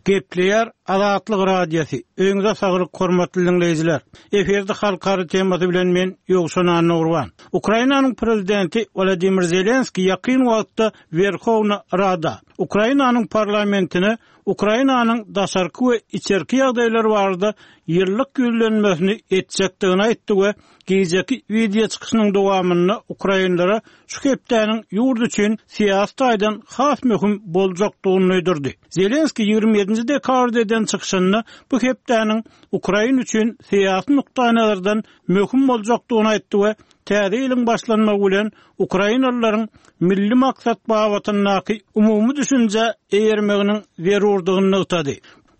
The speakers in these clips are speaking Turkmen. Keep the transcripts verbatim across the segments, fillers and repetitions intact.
Gepleýär Azatlyk Radiosy. Öýüňize saglyk hormatly diňleýjiler. Efirde halkara temasy bilen men Ýowşan Annagurban. Ukrainanyň prezidenti Wladimir Zelenski ýakyn wagtda Werhowna Rada, Ukrainanyň parlamentine Ukrainanyň daşarky we içerki ýagdaýlary barada ýyllyk ýüzlenmesini etjekdigini aýtdy we gijeki wideo çykyşynyň dowamynda ukrainlere şu hepdäniň ýurt üçin syýasy taýdan has möhüm boljakdygyny duýdurdy. Zelenski ýigrimi ýedinji dekabrda eden çykyşynda bu hepdäniň Ukraina üçin syýasy nukdaýnazardan möhüm boljakdygyny aýtdy we täze ýylyň başlanmagy bilen ukrainalylaryň milli maksat babatyndaky umumy düşünjä eýermeginiň zerurdygyny nygtady.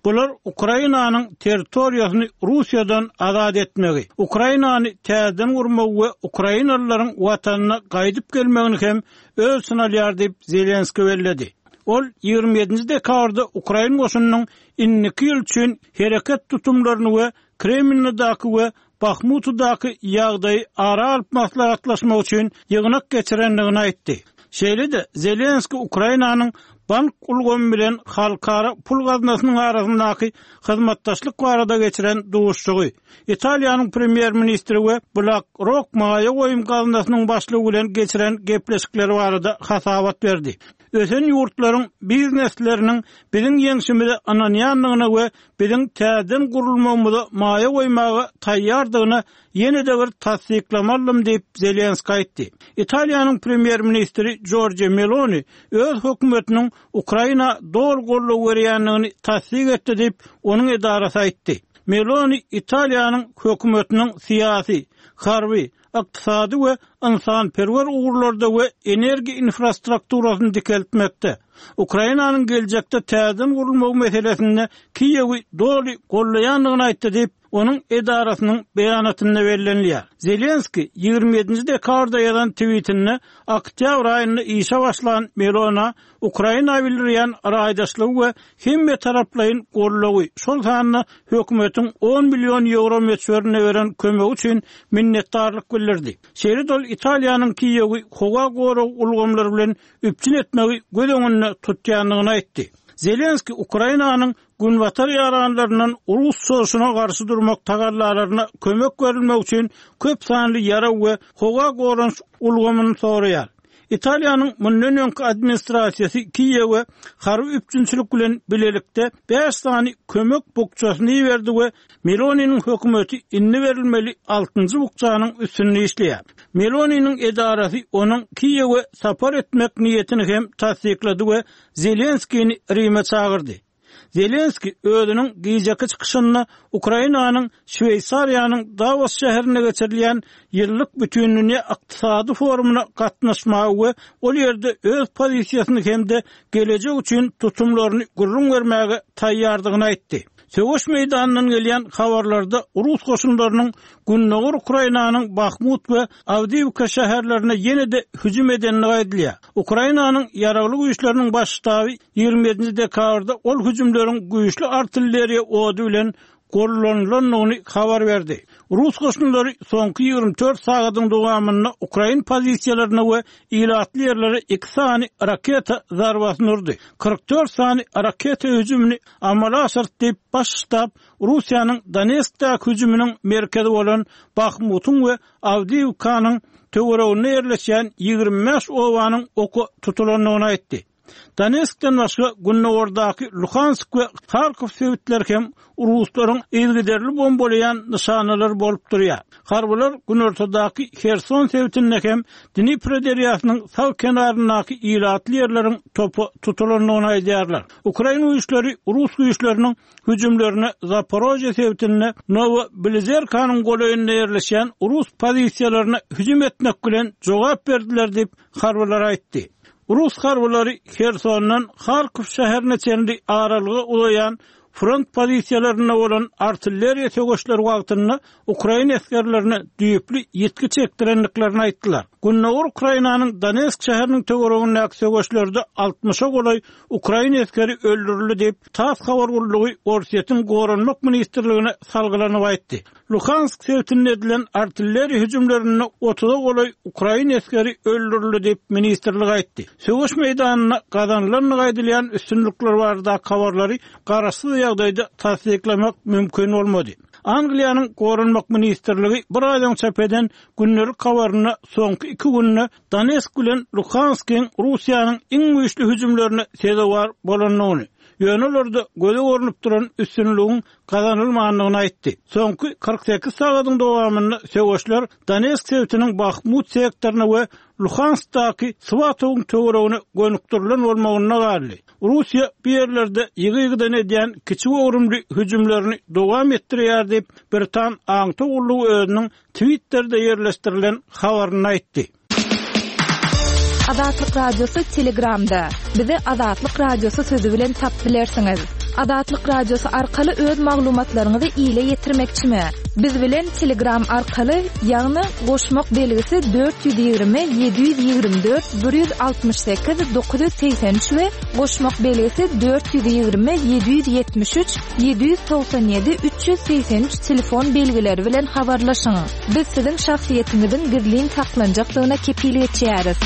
Bular Ukrainanyň territoriýasyny Russiýadan azat etmegi, Ukrainany täzeden gurmagy we ukrainalylaryň watanyna gaýdyp gelmegini hem öz içine alýar diýip Zelenski belledi. Ol ýigrimi ýedinji dekabrda ukrain goşunynyň indiki ýyl üçin hereket tutumlaryny we Kremlindaky we Bahmutdaky ýagdaýy ara alyp maslahatlaşmak üçin ýygnak geçirendigini aýtdy. Şeýle-de Zelenski Ukrainanyň bank ulgamy bilen halkara pul gaznasynyň arasyndaky hyzmatdaşlyk barada geçiren duşuşygy, Italiýanyň premýer-ministri we BlackRock maýa goýum gaznasynyň başlygy bilen geçiren gepleşikleri barada hasabat berdi. Ösen ýurtlaryň biznesleriniň biziň ýeňşimize ynanýandygyna we biziň täzeden gurulmagymyza maýa goýmaga taýýardygyna ýene-de bir tassyklama aldym diýip, Zelenski aýtdy. Italiýanyň premýer-ministri Jorja Meloni öz hökümetiniň Ukraina doly goldaw berýändigini tassyk etdi diýip, onuň edarasy aýtdy. Meloni Italiýanyň hökümetiniň syýasy, harby, ykdysady we ynsanperwer ugurlarda we energiýa infrastrukturasyny dikeltmekde, Ukrainanyň geljekde täzeden gurulmagy meselesinde Kiýewi doly gollaýandygyny aýtdy diýip, onuň edarasynyň beýanatynda bellenilýär. Zelenski ýigrimi ýedinji dekabrda ýazan twitinde oktýabr aýynda işe başlan Melona Ukraina bildirýän raýdaşlygy we hemmetaraplaýyn goldawy, şol sanda hökümetiň on million ýewro möçberinde beren kömegi üçin minnetdarlyk bildirdi. Şeýle-de ol Italiýanyň Kiýewi howa gorag ulgamlary bilen üpjün etmegi göz öňünde tutýandygyny aýtdy. Zelenski Ukrainanyň günbatar ýaranlaryndan rus çozuşyna garşy durmak tagallalaryna kömek berilmegi üçin köp sanly ýarag we howa goranyş ulgamyny soraýar. Italiýanyň mundan öňki administrasiýasy Kiýewe harby üpjünçilik bilen bilelikde bäş sany kömek bukjasyny iberdi we Meloniniň hökümeti indi berilmeli altynjy bukjanyň üstünde işleýär. Meloniniň edarasy onuň Kiýewe sapar etmek niýetini hem tassyklady we Zelenskini Rime çagyrdy. Zelenski özüniň gijeki çykyşynda Ukrainanyň Şweýsariýanyň Davos şäherinde geçirilýän ýyllyk bütindünýä ykdysady forumyna gatnaşmagy we ol ýerde öz pozisiýasyny hem-de gelejek üçin tutumlaryny gürrüň bermäge taýýardygyny aýtdy. Söweş meýdanyndan gelýän habarlarda rus goşunlarynyň Gündogar Ukrainanyň Bahmut we Awdiýewka şäherlerine ýene-de hüjüm edendigi aýdylýar. Ukrainanyň ýaragly güýçleriniň baş ştaby ýigrimi ýedinji dekabrda ol hüjümleriň güýçli artilleriýa ody bilen gollanylandygyny habar berdi. Rus goşunlary soňky ýigrimi dört sagadyň dowamynda ukrain pozisiýalaryna we ilatly ýerlere iki sany raketa zarbasyny urdy. Kyrk dört sany raketa hüjümini amala aşyrdy diýip, baş ştab Russiýanyň Donetskdäki hüjüminiň merkezi bolan Bahmutyň we Awdiýewkanyň töwereginde ýerleşýän ýigrimi bäş obanyň oka tutulandygyny aýtdy. Donetskden başga Gündogardaky Luhansk we Harkow sebitleri hem ruslaryň yzygiderli bombalaýan nyşanalary bolup durýar. Harbylar günortadaky Herson sebitinde hem Dnipro derýasynyň sag kenaryndaky ilatly ýerleriň topa tutulandygyny aýdýarlar. Ukrain güýçleri rus güýçleriniň hüjümlerine Zaporožýe sebitinde Nowobilizerkanyň golaýynda ýerleşýän rus pozisiýalaryna hüjüm etmek bilen jogap berdiler diýip harbylar aýtdy. Rus harbylary Hersondan Harkow şäherine çenli aralyga uzaýan front pozisiýalarynda bolan artilleriýa söweşleri wagtynda ukrain esgerlerine düýpli ýitgi çekdirendiklerini aýtdylar. Gündogar Ukrainanyň Donetsk şäheriniň töweregindäki söweşlerde altmyşa golaý ukrain esgeri öldürildi diýip, TASS habar gullugy Orsýetiň Goranmak ministrligine salgylanyp aýtdy. Luhansk sebitinde edilen artilleriýa hüjümlerinde otuza golaý ukrain esgeri öldürildi diýip, ministrlik aýtdy. Söweş meýdanynda gazanylandygy aýdylýan üstünlikler baradaky habarlary garaşsyz ýagdaýda tassyklamak mümkin bolmady. Angliýanyň Goranmak ministrligi bir aý öň çap eden gündelik habarynda soňky iki günde Donetsk bilen Luhanskyň Russiýanyň iň güýçli hüjümlerine sezewar bolandygyny, ýöne olarda göze görnüp duran üstünligiň gazanylmandygyny aýtdy. Soňky kyrk sekiz sagadyň dowamynda söweşler Donetsk sebitiniň Bahmut sektoryna we Luhanskdaky Swatowyň töweregine gönükdirilen bolmagynda galdy. Russiýa bu ýerlerde ýygy-ýygydan edýän kiçi göwrümli hüjümlerini dowam etdirýär diýip, Britan aňtaw gullugy özüniň Twitterde ýerleşdirilen habarynda aýtdy. Azatlyk Radiosy Telegramda. Bizi Azatlyk Radiosy sözi bilen tapyp bilersiňiz. Azatlyk Radiosy arkaly öz maglumatlaryňyzy ile ýetirmekçimi? Biz bilen Telegram arkaly, ýagny goşmak belgisi dört ýüz ýigrimi ýedi ýüz ýigrimi dört bir ýüz altmyş sekiz dokuz ýüz segsen üç we goşmak belgisi dört ýüz ýigrimi ýedi ýüz ýetmiş üç ýedi ýüz togsan ýedi üç ýüz segsen üç telefon belgileri bilen habarlaşyň. Biz siziň şahsyýetiňiziň gizlin saklanjakdygyna kepil geçýäris.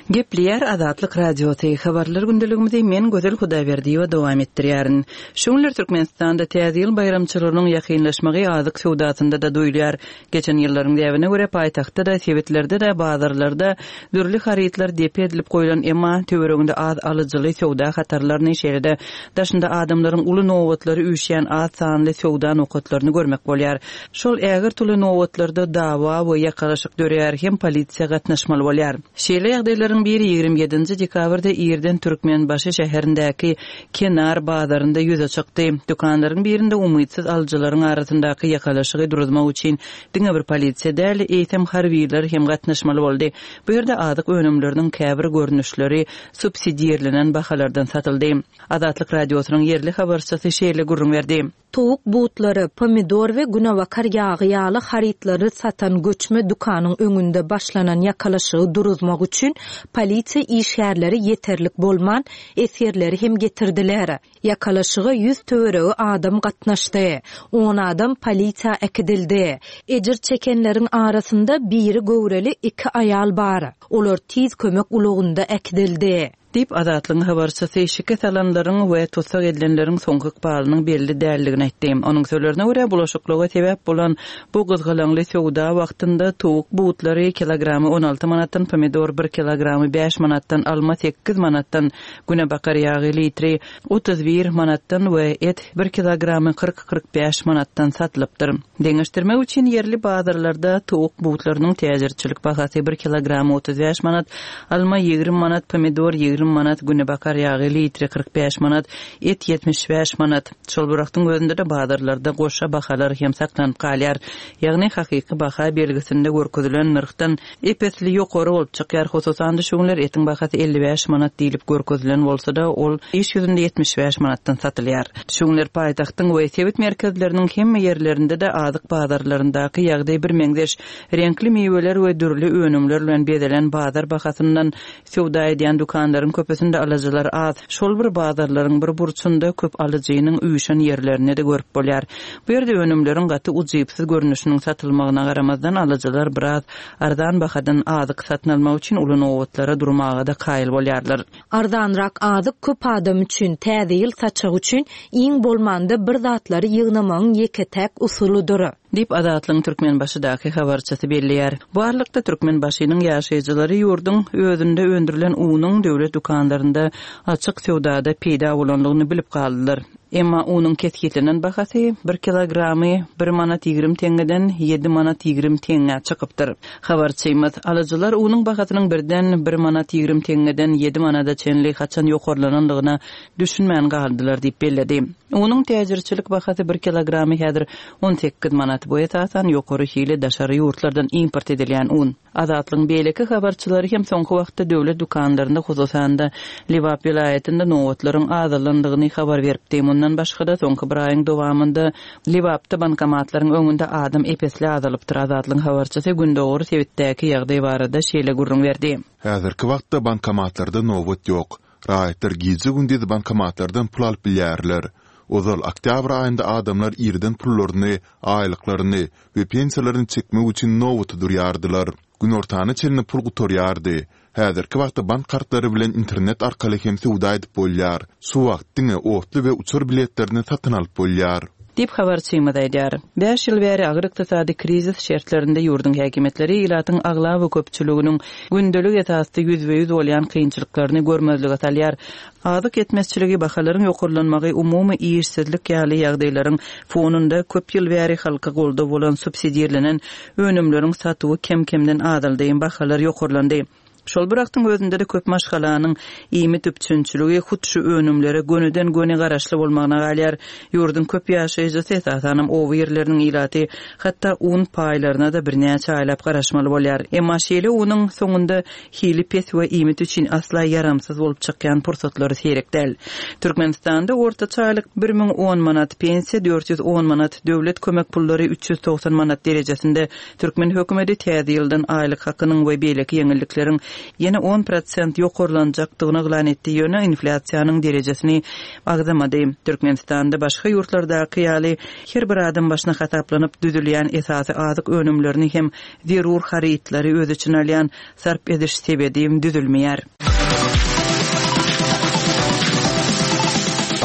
Gepleýär Azatlyk Radiosy. Habarlar gündeligimizi men Gözel Hudaýberdiýewa dowam etdirýärin. Şu günler Türkmenistanda Täze ýyl baýramçylygynyň ýakynlaşmagy azyk söwdasynda-da duýulýar. Geçen ýyllaryň däbine görä paýtagtda-da, sebitlerde-de, bazarlarda dürli harytlar depe edilip goýlan, emma töwereginde az alyjyly söwda hatarlaryny, şeýle-de daşynda adamlaryň uly nobatlary üýşýän az sanly söwda nokatlaryny görmek bolýar. Şol ägirt uly nobatlarda dawa we ýakalaşyk döreýär hem polisiýa gatnaşmaly bolýar. Şeýle ýagdaýlaryň biri ýigrimi ýedinji dekabrda irden Türkmenbaşy şäherindäki Kenar bazarynda ýüze çykdy. Dükanlaryň birinde umytsyz alyjylaryň arasyndaky ýakalaşygy duruzmak üçin diňe bir polisiýa däl, eýsem harbylar hem gatnaşmaly boldy. Bu ýerde azyk önümleriniň käbir görnüşleri subsidirlenen bahalardan satyldy. Azatlyk Radiosynyň ýerli habarçysy şeýle gürrüň berdi. Towuk butlary, pomidor we günebakar ýagy ýaly harytlary satan göçme dükanyň öňünde başlanan ýakalaşygy duruzmak üçin polisiýa işgärleri ýeterlik bolman, esgerleri hem getirdiler. Ýakalaşyga ýüz töweregi adam gatnaşdy. On adam polisiýa äkidildi. Ejir çekenleriň arasynda biri göwreli iki aýal bar. Olar tiz kömek ulagynda äkidildi. Diýip, Azatlygyň habarçysy şikes alanlaryň we tussag edilenleriň soňky ykbalynyň belli däldigini aýtdy. Onuň sözlerine görä, bulaşyklyga sebäp bolan bu gyzgalaňly söwda wagtynda towuk butlary kilogramy on alty manatdan, pomidor bir kilogramy bäş manatdan, alma sekiz manatdan, günebakar ýagy litri otuz bir manatdan we et bir kilogramy kyrk-kyrk bäş manatdan satylypdyr. Deňeşdirmek üçin ýerli bazarlarda towuk butlarynyň täjirçilik bahasy bir kilogramy otuz bäş manat, alma ýigrimi manat, pomidor ýigrimi manat, günebakar ýagy litri kyrk bäş manat, et ýetmiş bäş manat. Şol bir wagtyň özünde-de bazarlarda goşa bahalar hem saklanyp galýar. Ýagny hakyky baha belgisinde görkezilen nyrhdan ep-esli ýokary bolup çykýar. Hususan-da şu günler etiň bahasy elli bäş manat diýlip görkezilen bolsa-da, ol iş ýüzünde ýetmiş bäş manatdan satylýar. Şu günler paýtagtyň we sebit merkezleriniň hemme ýerlerinde-de azyk bazarlaryndaky ýagdaý birmeňzeş. Reňkli miweler we dürli önümler bilen bezelen bazar bahasyndan söwda edýän dükanlaryň köpüsinde alyjylar az. Şol bir bazarlaryň bir burçunda köp alyjynyň üýşen ýerlerini-de görüp bolýar. Bu ýerde önümleriň gaty ujypsyz görnüşiniň satylmagyna garamazdan alyjylar biraz arzan bahadan azyk satyn almak üçin uly nobatlara durmaga-da kaýyl bolýarlar. Arzanrak azyk köp adam üçin, täze ýyl saçagy üçin iň bolmanda bir zatlary ýygnamagyň ýeke-täk usulydyr. Diýip, Azatlygyň Türkmenbaşydaky habarçysy belleýär. Bu aralykda Türkmenbaşynyň ýaşaýjylary ýurduň özünde öndürilen unuň döwlet dükanlarynda açyk söwdada peýda bolandygyny bilip galdylar. Emma unuň kesgitlenen bahasy bir kilogramy bir manat ýigrimi teňňeden ýedi manat ýigrimi teňňä çykypdyr. Habarçymyz, alyjylar unuň bahasynyň birden bir manat ýigrimi teňňeden ýedi manada çenli haçan ýokarlanandygyna düşünmän galdylar diýip belledi. Unuň täjirçilik bahasy bir kilogramy häzir on sekiz manat. Bu esasan ýokary hili daşary ýurtlardan import edilýän un. Azatlygyň beýleki habarçylary hem soňky wagtda döwlet dükanlarynda, hususan-da, Lebap welaýatynda nobatlaryň azalandygyny habar beripdi. Mundan başga-da, soňky bir aýyň dowamynda Lebapda bankomatlaryň öňünde adam ep-esli azalypdyr. Azatlygyň habarçysy gündogar sebitdäki ýagdaý barada şeýle gürrüň berdi. Häzirki wagtda bankomatlarda nobat ýok. Raýatlar gije-gündiz bankomatlardan pul alyp bilýärler. Ozal oktýabr aýynda adamlar irden pullaryny, aýlyklaryny we pensiýalaryny çekmek üçin nobata durýardylar. Günortana çenli pul gutarýardy. Häzirki wagtda bank kartlary bilen internet arkaly hem söwda edip bolýar. Şu wagt diňe otly we uçar biletlerini satyn alyp bolýar. Diýip, habarçymyz aýdýar. Bäş ýyl bäri agyr ykdysady krizis şertlerinde ýurduň häkimiýetleri ilatyň aglaba köpçüliginiň gündelik esasda ýüzbe-ýüz bolýan kynçylyklaryny görmezlige salýar. Azyk ýetmezçiligi, bahalaryň ýokarlanmagy, umumy işsizlik ýaly ýagdaýlaryň fonunda köp ýyl bäri halka goldaw bolan subsidirlenen önümleriň satuwy kem-kemden azaldy, bahalar ýokarlandy. Şol bir wagtyň özünde-de köp maşgalanyň iýmit üpjünçiligi hut şu önümlere gönüden-göni garaşly bolmagyna galýar. Ýurduň köp ýaşaýjysy, esasanam oba ýerleriniň ilaty, hatda un paýlaryna-da birnäçe aýlap garaşmaly bolýar. Emma şeýle unuň soňunda hili pes we iýmit üçin asla ýaramsyz bolup çykýan pursatlary seýrek däl. Türkmenistanda ortaça aýlyk bir müň on manat, pensiýa dört ýüz on manat, döwlet kömek pullary üç ýüz togsan manat derejesinde. Türkmen hökümeti täze ýyldan aýlyk hakynyň we beýleki ýeňillikleriň ýene on prosent ýokarlanjakdygyny yglan etdi, ýöne inflýasiýanyň derejesini agzamady. Türkmenistanda başga ýurtlardaky ýaly her bir adam başyna hasaplanyp düzülýän esasy azyk önümlerini hem zerur harytlary öz içine alýan sarp ediş sebedi düzülmeýär.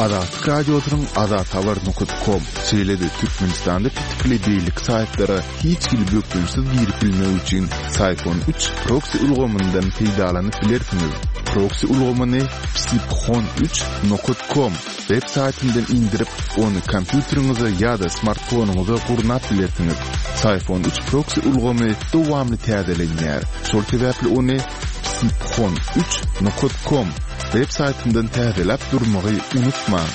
Azatlyk Radiosynyň azathabar nokat kom, şeýle-de Türkmenistanda petikli beýleki saýtlara hiç hili bökdençsiz girip bilmek üçin Syphon üç proksi ulgamyndan peýdalanyp bilersiňiz. Proksi ulgamyny psiphon üç nokat kom web saýtyndan indirip, ony kompýuteriňize ýa-da smartfonyňyza gurnap bilersiňiz. Syphon üç proksi ulgamy dowamly täzelenýär. Şol sebäpli ony psiphon üç nokat kom web saýtyndan täzeläp durmagy unutmaň.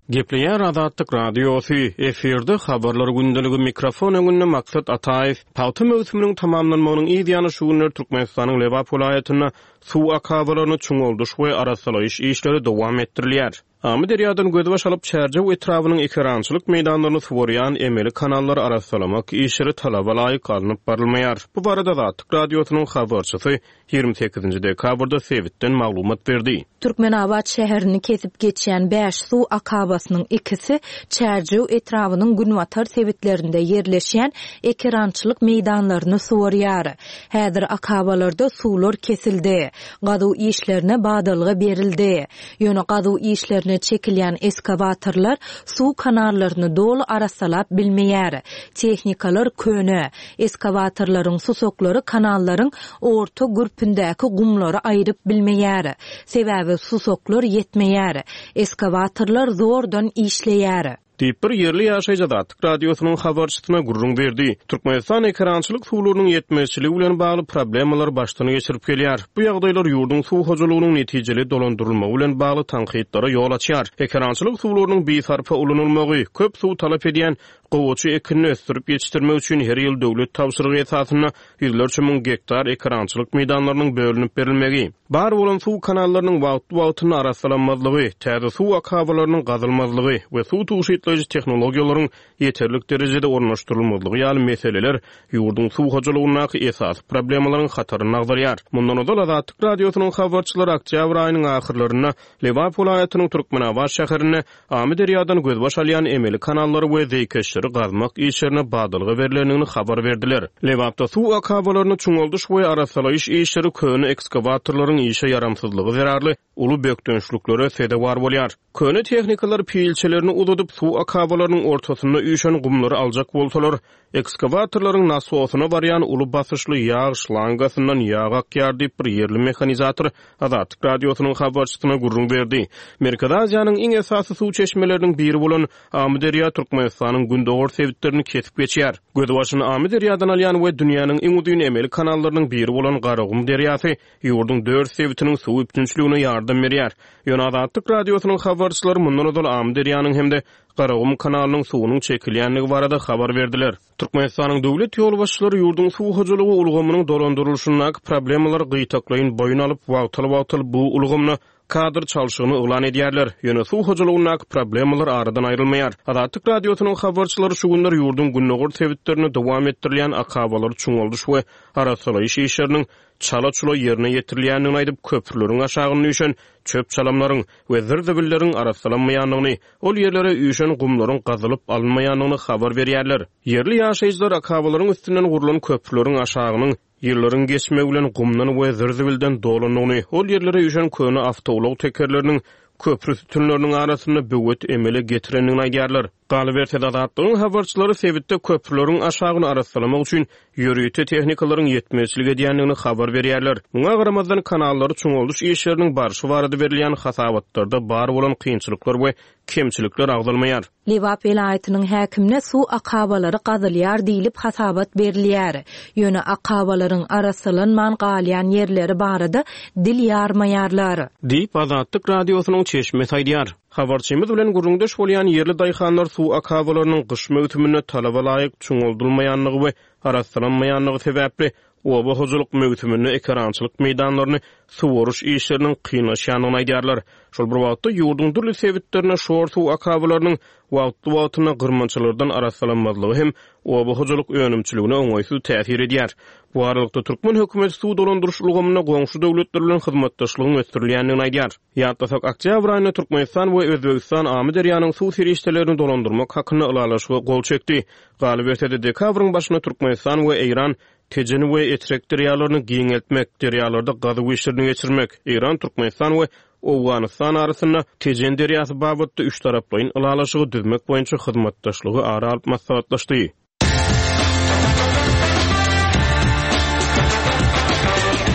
Gepleýär Azatlyk Radiosy, efirde habarlar gündeligi mikrofon öňünde Maksat Ataýew. Pagta möwsüminiň tamamlanmagynyň yz ýany şu günler Türkmenistanyň Lebap welaýatynda suw akabalaryny çuňaldyş we arassalaýyş işleri dowam etdirilýär. Amyderýadan gözbaş alyp Çärjew etrabynyň ekerançylyk meýdanlaryny suwarýan emeli kanallary arassalamak işleri talaba laýyk alnyp barylmaýar. Bu barada Azatlyk Radiosynyň habarçysy ýigrimi sekizinji dekabrda sebitden maglumat berdi. Türkmenabat şäherini kesip geçýän bäş suw akabasynyň ikisi Çärjew etrabynyň günbatar sebitlerinde ýerleşýän ekerançylyk meýdanlaryny suwarýar. Häzir akabalarda suwlar kesildi. Gazuw işlerine badalga berildi. Ýöne gazuw işlerine çekilýän eskawatorlar suw kanallaryny doly arassalap bilmeýär. Tehnikalar köne. Eskawatorlaryň susaklary kanallaryň orta gürpündäki gumlary aýryp bilmeýär. Sebäbi susaklar ýetmeýär. Eskawatorlar zordan işleýär. Diýip bir ýerli ýaşaýjy Azatlyk Radiosynyň habarçysyna gürrüň berdi. Türkmenistan ekerançylyk suwlarynyň ýetmezçiligi bilen bagly problemalar başdan geçirip gelýär. Bu ýagdaýlar ýurduň suw hojalygynyň netijeli dolandyrylmagy bilen bagly tankytlara ýol açýar. Ekerançylyk suwlarynyň bisarpa ulanylmagy, köp suw talap edýän gowaça ekinini ösdürip ýetişdirmek üçin her ýyl döwlet tabşyrygy esasynda ýüzlerçe müň gektar ekerançylyk meýdanlarynyň bölünip berilmegi, bar bolan suw kanallarynyň wagtly-wagtynda arassalanmazlygy, täze suw akabalarynyň gazylmazlygy we suw tugşytlaýjy tehnologiýalaryň ýeterlik derejede ornaşdyrylmazlygy ýaly meseleler ýurduň suw hojalygyndaky esasy problemalaryň hataryny agzarýar. Mundan ozal Azatlyk Radiosynyň habarçylary oktýabr aýynyň ahyrlarynda Lebap welaýatynyň Türkmenabat şäherinde Amyderýadan gözbaş alýan emeli kanallary we zeýkeşleri gazmak işlerine badalga berlendigini habar berdiler. Lebapda suw akabalaryny çuňaldyş we arassalaýyş işleri köne ekskawatorlaryň işe ýaramsyzlygy zerarly uly bökdençliklere sezewar bolýar. Köne tehnikalar pilçelerini uzadyp suw akabalarynyň ortasynda üýşen gumlary aljak bolsalar, ekskawatorlaryň nasosyna barýan uly basyşly ýag şlangasyndan ýag akýar diýip bir ýerli mehanizator Azatlyk Radiosynyň habarçysyna gürrüň berdi. Merkezi Aziýanyň iň esasy suw çeşmeleriniň biri bolan Amyderýa Türkmenistanyň gündogar sebitlerini kesip geçýär. Gözbaşyny Amyderýadan alýan we dünýäniň iň uzyn emeli kanallarynyň biri bolan Garagum derýasy ýurduň dört sebitiniň suw üpjünçiligine ýardam berýär. Ýöne Azatlyk Radiosynyň habarçylary mundan ozal Amyderýanyň hem-de Garagum kanalynyň suwunyň çekilýändigi barada habar berdiler. Türkmenistanyň döwlet ýolbaşçylary ýurduň suw hojalygy ulgamynyň dolandyrylyşyndaky problemalary gytaklaýyn boýun alyp, wagtal-wagtal bu ulgamda kadr çalşygyny yglan edýärler. Ýöne suw hojalygyndaky problemalar aradan aýrylmaýar. Azatlyk Radiosynyň habarçylary şu günler ýurduň gündogar sebitlerinde dowam etdirilýän akabalary çuňaldyş we arassalaýyş işleriniň çala-çula ýerine ýetirilýändigini aýdyp, köprüleriň aşagynda üýşen çöp çalamlaryň we zir-zibilleriň arassalanmaýandygyny, ol ýerlere üýşen gumlaryň gazylyp alynmaýandygyny habar berýärler. Ýerli ýaşaýjylar akabalaryň üstünden gurlan köprüleriň aşagynyň ýyllaryň geçmegi bilen gumdan we zir-zibilden dolandygyny, ol ýerlere üýşen köne awtoulag tekerleriniň köprü sütünleriniň arasynda böwet emele getirendigini aýdýarlar. Galyberse-de, Azatlygyň habarçylary sebitde köprüleriň aşagyny arassalamak üçin ýörite tehnikalaryň ýetmezçilik edýändigini habar berýärler. Muňa garamazdan, kanallary çuňaldyş işleriniň barşy barada berilýän hasabatlarda bar bolan kynçylyklar we kemçilikler agzalmaýar. Lebap welaýatynyň häkimine suw akabalary gazylýar diýlip hasabat berilýär. Ýöne akabalaryň arassalanman galýan ýerleri barada dil ýarmaýarlar. Diýip, Azatlyk Radiosynyň çeşmesi aýdýar. Habarçymyz bilen gürrüňdeş bolýan ýerli daýhanlar suw akabalarynyň gyş möwsüminde talaba laýyk çuňaldylmaýandygy we arassalanmaýandygy sebäpli oba hojalyk möwsüminde ekerançylyk meýdanlaryny suwaryş işleriniň kynlaşýandygyny aýdýarlar. Şol bir wagtda ýurduň dürli sebitlerinde şor suw akabalarynyň wagtly-wagtynda gyrmançalardan arassalanmazlygy hem oba hojalyk önümçiligine oňaýsyz täsir edýär. Bu aralykda türkmen hökümeti suw dolandyryş ulgamynda goňşy döwletler bilen hyzmatdaşlygyň ösdürilýändigini aýdýar. Ýatlasak, oktýabr aýynda Türkmenistan we Özbegistan Amyderýanyň suw serişdelerini dolandyrmak hakynda ylalaşyga gol çekdi. Galyberse-de, dekabryň başynda Türkmenistan we Eýran Tejen we Etrek derýalaryny giňeltmek, derýalarda gazuw işlerini geçirmek, Eýran, Türkmenistan we Owganystan arasynda Tejen derýasy babatda üç taraplaýyn ylalaşygy düzmek boýunça hyzmatdaşlygy ara alyp maslahatlaşdy.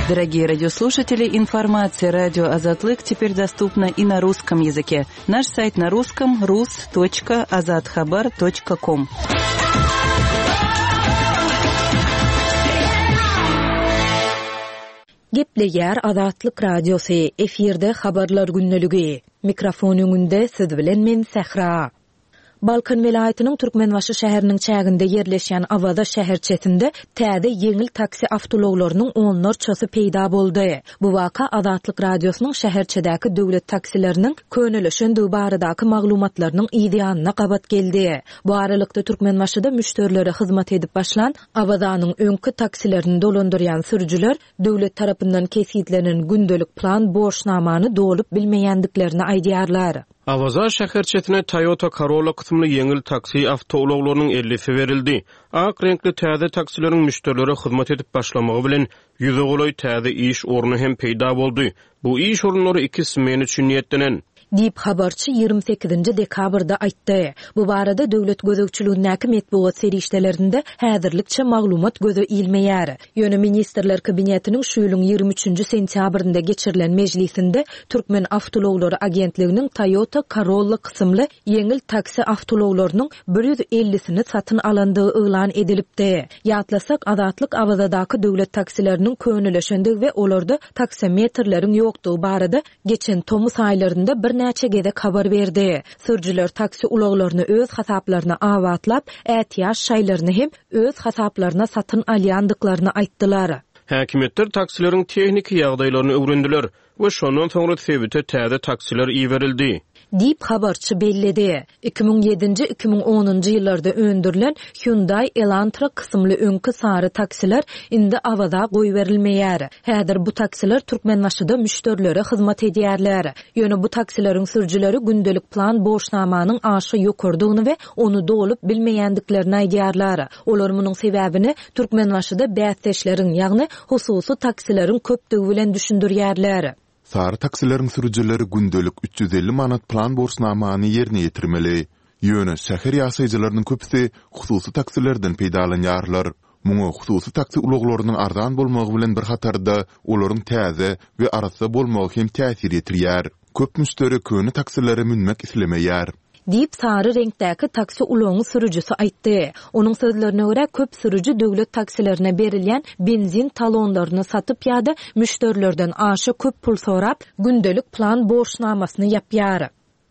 Дорогие радиослушатели, информация радио Азатлык теперь доступна и на русском языке. Наш сайт на русском rus.azathabar.com. Gepleýär Azatlyk Radiosy, efirde habarlar gündeligi. Mikrofon öňünde siz bilen men Sähra. Balkan welaýatynyň Türkmenbaşy şäheriniň çäginde ýerleşýän Awaza şäherçesinde täze ýeňil taksi awtoulaglarynyň onlarçasy peýda boldy. Bu waka Azatlyk Radiosynyň şäherçedäki döwlet taksileriniň könelişendigi baradaky maglumatlarynyň ýanyna gabat geldi. Bu aralykda Türkmenbaşyda müşderilere hyzmat edip başlan Awazanyň öňki taksilerini dolandyrýan sürüjiler döwlet tarapyndan kesitlenen gündelik plan borçnamany dolup bilmeýändiklerini aýdýarlar. Awaza şäherçesine Toyota Corolla kysymly ýeňil taksi awtoulaglarynyň ellisi berildi. Ak reňkli täze taksileriň müşderilere hyzmat edip başlamagy bilen ýüze golaý täze iş orny hem peýda boldy. Bu iş orunlary iki smen üçin niýetlenen. Diýip habarçy ýigrimi sekizinji dekabrda aýtdy. Bu barada döwlet gözegçiligindäki metbugat serişdelerinde häzirlikçe maglumat göze ilmeýär. Ýöne Ministrler Kabinetiniň şu ýylyň ýigrimi üçünji sentýabrynda geçirilen mejlisinde Türkmen Awtoulaglary Agentliginiň Toyota Corolla kysymly ýeňil taksi awtoulaglarynyň bir ýüz ellisini satyn alandygy yglan edilipdi. Ýatlasak, Azatlyk Awazadaky döwlet taksileriniň könelişendigi we olarda taksometrleriň ýokdugy barada geçen tomus aýlarynda birnäçe gezek habar berdi. Sürüjiler taksi ulaglaryny öz hasaplaryna abatlap, ätiýaç şaýlaryny hem öz hasaplaryna satyn alýandyklaryny aýtdylar. Häkimiýetler taksileriň tehniki ýagdaýlaryny öwrendiler we şondan soňra sebite täze taksiler iberildi. Diýip habarçy belledi. Iki müň ýedinji, iki müň onunjy ýyllarda öndürilen Hyundai Elantra kysymly öňki sary taksiler indi Awaza goýberilmeýär. Häzir bu taksiler Türkmenbaşyda müşderilere hyzmat edýärler. Ýöne bu taksileriň sürüjileri gündelik plan borçnamanyň aşa ýokardygyny we ony dolup bilmeýändiklerini aýdýarlar. Olar munuň sebäbini Türkmenbaşyda bäsdeşleriň, ýagny hususy taksileriň köpdügi bilen düşündirýärler. Sary taksileriň sürüjileri gündelik üç ýüz elli manat plan borçnamany ýerine ýetirmeli. Ýöne şäher ýaşaýjylarynyň köpüsi hususy taksilerden peýdalanýarlar. Muňa hususy taksi ulaglarynyň arzan bolmagy bilen bir hatarda olaryň täze we arassa bolmagy hem täsir ýetirýär. Köp müşderi köne taksilere münmek islemeýär. Diýip, sary reňkdäki taksi ulagyň sürüjisi aýtdy. Onuň sözlerine görä, köp sürüji döwlet taksilerine berilýän benzin talonlaryny satyp ýa-da müşderilerden aşa köp pul sorap, gündelik plan borçnamasyny ýapýar.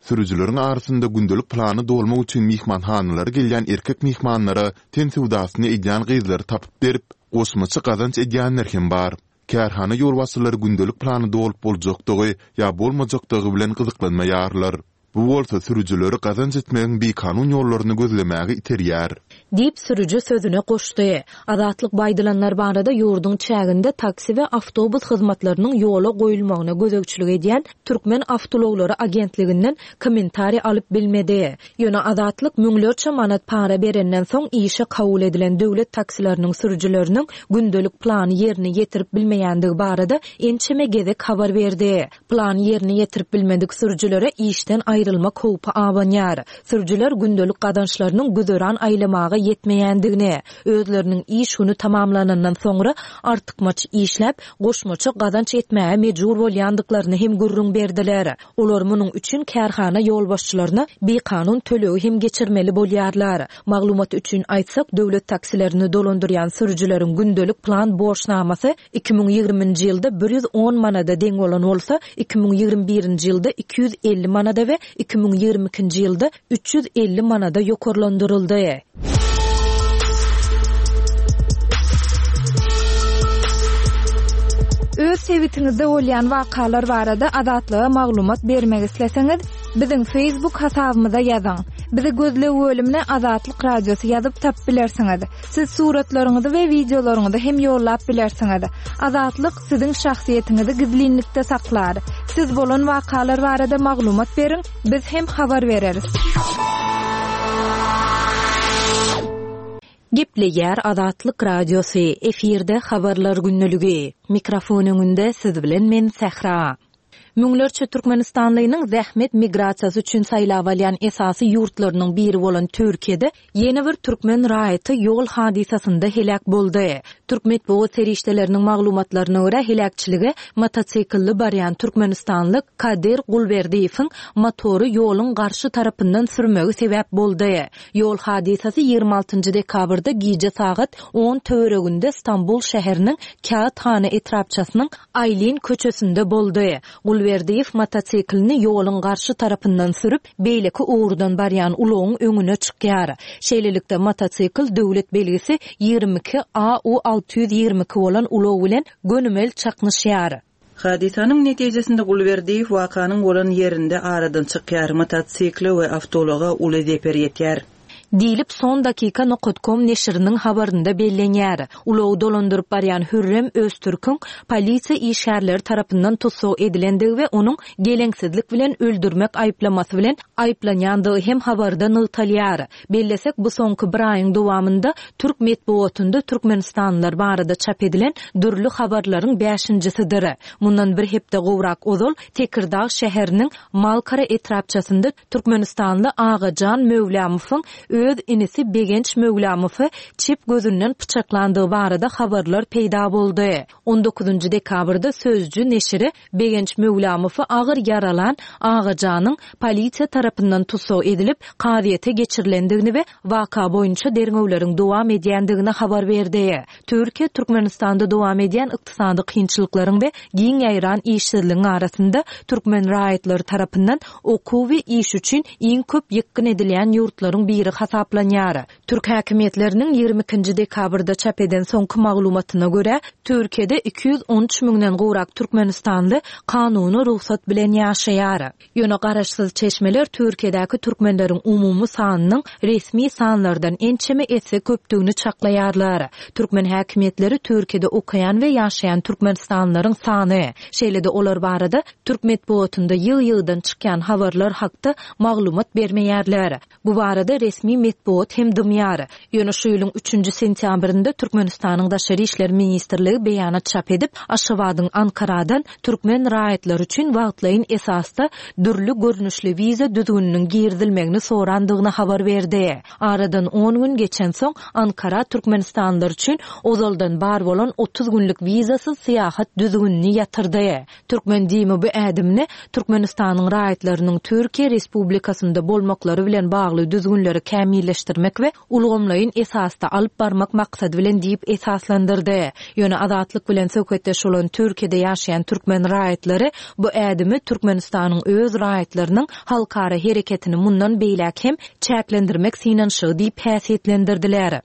Sürüjileriň arasynda gündelik plany dolmak üçin myhmanhanalara gelýän erkek myhmanlara ten söwdasyny edýän gyzlary tapyp berip, goşmaça gazanç edýänler hem bar. Kärhana ýolbaşçylary gündelik plany dolup boljakdygy ýa bolmajakdygy bilen gyzyklanmaýarlar. Bu bolsa sürüjileri gazanç etmegiň bikanun ýollaryny gözlemäge iterýär. Diýip, sürüji sözüne goşdy. Azatlyk bu aýdylanlar barada ýurduň çäginde taksi we awtobus hyzmatlarynyň ýola goýulmagyna gözegçilik edýän Türkmen awtoulaglary agentliginden kommentariý alyp bilmedi. Ýöne Azatlyk müňlerçe manat para berenden soň işe kabul edilen döwlet taksileriniň sürüjileriniň gündelik plany ýerine ýetirip bilmeýändigi barada ençeme gezek habar berdi. Plany ýerine ýetirip bilmedik sürüjilere işden aýrylmak howpy abanýar. Sürüjiler gündelik gazançlarynyň güzeran aýlamaga ýetmeýändigini, özleriniň iş güni tamamlanandan soňra artykmaç işläp, goşmaça gazanç etmäge mejbur bolýandyklaryny hem gürrüň berdiler. Olar munuň üçin kärhana ýolbaşçylaryna bikanun tölegi hem geçirmeli bolýarlar. Maglumat üçin aýtsak, döwlet taksilerini dolandyrýan sürüjileriň gündelik plan borçnamasy iki müň ýigriminji ýylda bir ýüz on manada deň bolan bolsa, iki müň ýigrimi birinji ýylda iki ýüz elli manada we iki müň ýigrimi ikinji ýylda üç ýüz elli manada ýokarlandyryldy. Öz sebitiňizde bolýan wakalar barada Azatlyga maglumat bermek isleseňiz, biziň Facebook hasabymyza ýazyň. Bizi gözleg bölümine Azatlyk Radiosy ýazyp tapyp bilersiňiz. Siz suratlaryňyzy we wideolaryňyzy hem ýollap bilersiňiz. Azatlyk siziň şahsyýetiňizi gizlinlikde saklar. Siz bolan wakalar barada maglumat beriň, biz hem habar bereris. Gepleýär Azatlyk Radiosy, efirde habarlar günlügi. Mikrofon öňünde siz bilen men Sähra. Müňlerçe Türkmenistanlynyň zähmet migrasiýasy üçin saýlap alýan esasy ýurtlarynyň biri bolan Türkiýede ýene bir türkmen raýaty ýol hadysasynda heläk boldy. Türk metbugat serişdeleriniň maglumatlaryna görä heläkçilige motosikilli barýan Türkmenistanly Kadir Gulberdiýewiň motory ýoluň garşy tarapyndan sürmegi sebäp boldy. Ýol hadysasy ýigrimi altynjy dekabrda gije sagat on töwereginde Stambul şäheriniň Kağıthane etrapçasynyň Aýlin köçesinde boldy. Gulberdiýew motosiklini ýoluň garşy tarapyndan sürüp, beýleki ugurdan barýan ulagyň öňüne çykýar. Şeýlelikde motosikl döwlet belgisi ýigrimi iki A U alty ýüz ýigrimi iki bolan ulag bilen gönümel çaknyşýar. Hadysanyň netijesinde Gulberdiýew wakanyň bolan ýerinde aradan çykýar, motosikle we awtoulaga uly zeper ýetýär. Diýlip son dakika nokta com neşiriniň habarynda bellenýär. Ulagy dolandyryp barýan Hürrem Öztürküň polisiýa işgärleri tarapyndan tussag edilendigi we onuň geleňsizlik bilen öldürmek aýyplamasy bilen aýyplanýandygy hem habarda nygtalýar. Bellesek, bu soňky bir aýyň dowamynda Türk metbugatynda Türkmenistanlylar barada çap edilen dürli habarlaryň bäşinjisidir. Mundan bir hepde gowrak ozal Tekirdag şäheriniň Malkara etrapçasynda Türkmenistanly Agajan Möwlamowyň öz inisi Begenç Möwlamowy çep gözünden pyçaklandygy barada habarlar peýda boldy. on dokuzynjy dekabrda Sözcü neşiri Begenç Möwlamowy agyr ýaralan Agajanyň polisiýa tarapyndan tussag edilip, kazyýete geçirilendigini we waka boýunça derňewleriň dowam edýändigini habar berdi. Türkiýe Türkmenistanda dowam edýän ykdysady kynçylyklaryň we giň ýaýran işsizligiň arasynda türkmen raýatlary tarapyndan okuw we iş üçin iň köp ýykgyn edilýän ýurtlaryň biri hasaplanýar. Türk häkimiýetleriniň ýigrimi ikinji dekabrda çap eden soňky maglumatyna görä, Türkiýede iki ýüz on üç müňden gowrak Türkmenistanly kanuny rugsat bilen ýaşaýar. Ýöne garaşsyz çeşmeler Türkiýedäki türkmenleriň umumy sanynyň resmi sanlardan ençeme esse köpdügini çaklaýarlar. Türkmen häkimiýetleri Türkiýede okaýan we ýaşaýan Türkmenistanlylaryň sany, şeýle-de olar barada Türk metbugatynda ýygy-ýygydan çykýan habarlar hakda maglumat bermeýärler. Bu barada resmi metbugat hem dymýar. Ýöne şu ýylyň üçünji sentýabrynda Türkmenistanyň Daşary işler ministrligi beýanat çap edip, Aşgabadyň Ankaradan türkmen raýatlary üçin wagtlaýyn esasda dürli görnüşli wiza düzgüniniň girizilmegini sorandygyny habar berdi. Aradan on gün geçensoň, Ankara türkmenistanlylar üçin ozaldan bar bolan otuz günlük wizasyz syýahat düzgünini ýatyrdy. Türkmen DIM-i bu ädimini Türkmenistanyň raýatlarynyň Türkiýe Respublikasynda bolmaklary bilen bagly düzgünleri kämilleşdirmek we ulgamlaýyn esasda alyp barmak maksady bilen diýip esaslandyrdy. Ýöne Azatlyk bilen söhbetdeş bolan Türkiýede ýaşaýan türkmen raýatlary bu ädimi Türkmenistanyň öz raýatlarynyň halkara hereketini mundan beýläk hem çäklendirmek synanyşygy diýip häsiýetlendirdiler.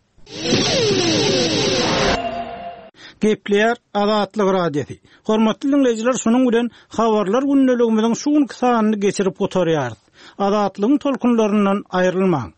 Gepleýär Azatlyk Radiosy. Hormatly diňleýjiler, şunuň bilen habarlar gündeligimiziň şu günki sanyny geçirip gutarýarys. Azatlygyň tolkunlaryndan aýrylmaň.